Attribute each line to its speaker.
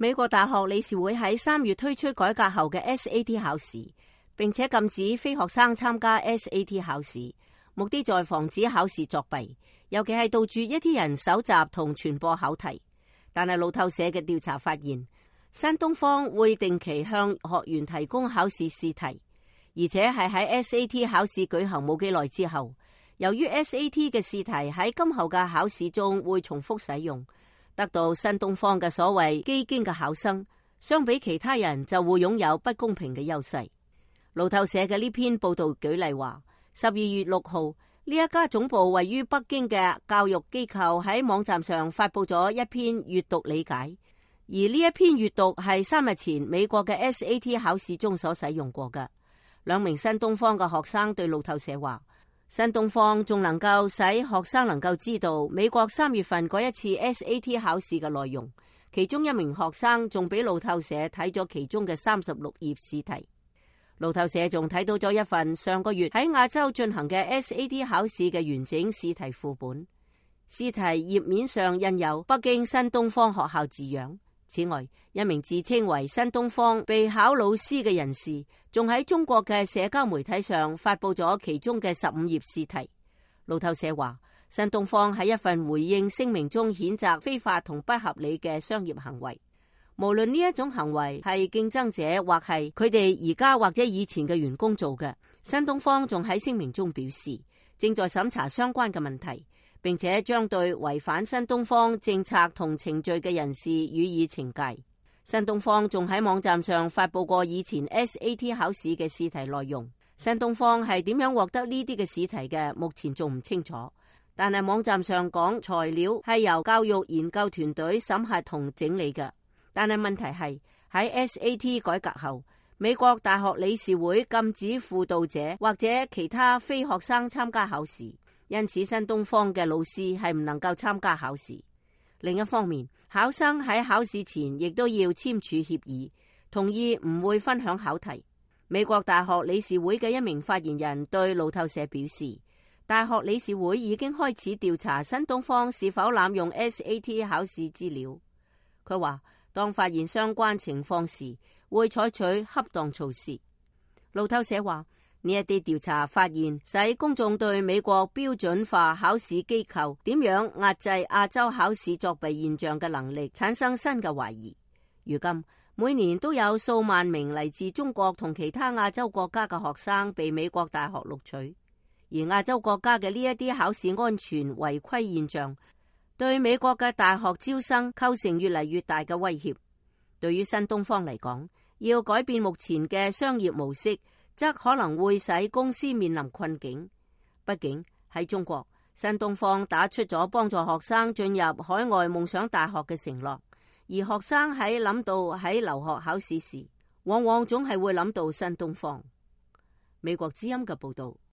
Speaker 1: 美國大學理事會喺3月推出改革後嘅 SAT 考試，並且禁止非學生參加 SAT 考試，目的在防止考試作弊，尤其係杜絕一啲人搜集同傳播考題。但係路透社嘅調查發現，新東方會定期向學員提供考試試題，而且係喺 SAT 考試舉行冇幾耐之後，由於 SAT 嘅試題喺今後嘅考試中會重複使用，得到新東方嘅所謂基經嘅考生，相比其他人就會擁有不公平嘅優勢。路透社嘅呢篇報道舉例話，12月6號呢一家總部位於北京嘅教育機構喺網站上發佈咗一篇閱讀理解，而呢一篇閱讀係3日前美國嘅 SAT 考試中所使用過嘅。2名新東方嘅學生對路透社話，新東方仲能夠使學生能夠知道美國3月份嗰一次 SAT 考試嘅內容，其中1名學生仲俾路透社睇咗其中嘅36頁試題。路透社仲睇到咗一份上個月喺亞洲進行嘅 SAT 考試嘅完整試題副本，試題頁面上印有北京新東方學校字樣。此外，1名自稱為新東方備考老師嘅人士，仲喺中國嘅社交媒體上發佈咗其中嘅15頁試題。路透社話，新東方喺一份回應聲明中譴責非法同不合理嘅商業行為，無論呢一種行為係競爭者或係佢哋而家或者以前嘅員工做嘅。新東方仲喺聲明中表示，正在審查相關嘅問題，並且將對違反新東方政策同程序嘅人士予以懲戒。新東方仲喺網站上發佈過以前 SAT 考試嘅試題內容。新東方係點樣獲得呢啲嘅試題嘅，目前仲唔清楚。但係網站上講材料係由教育研究團隊審核同整理嘅。但係問題係喺 SAT 改革後，美國大學理事會禁止輔導者或者其他非學生參加考試。因此，新東方嘅老師係唔能夠參加考試。另一方面，考生喺考試前亦都要簽署協議，同意唔會分享考題。美國大學理事會嘅一名發言人對路透社表示，大學理事會已經開始調查新東方是否濫用 SAT 考試資料。佢話，當發現相關情況時，會採取恰當措施。路透社話，呢一啲調查發現，使公眾對美國標準化考試機構點樣壓制亞洲考試作弊現象嘅能力產生新嘅懷疑。如今，每年都有數萬名嚟自中國同其他亞洲國家嘅學生被美國大學錄取，而亞洲國家嘅呢一啲考試安全違規現象，對美國嘅大學招生構成越嚟越大嘅威脅。對於新東方嚟講，要改變目前嘅商業模式，則可能會使公司面臨困境。畢竟喺中國，新東方打出咗幫助學生進入海外夢想大學嘅承諾，而學生喺諗到喺留學考試時，往往總係會諗到新東方。美國之音嘅報道。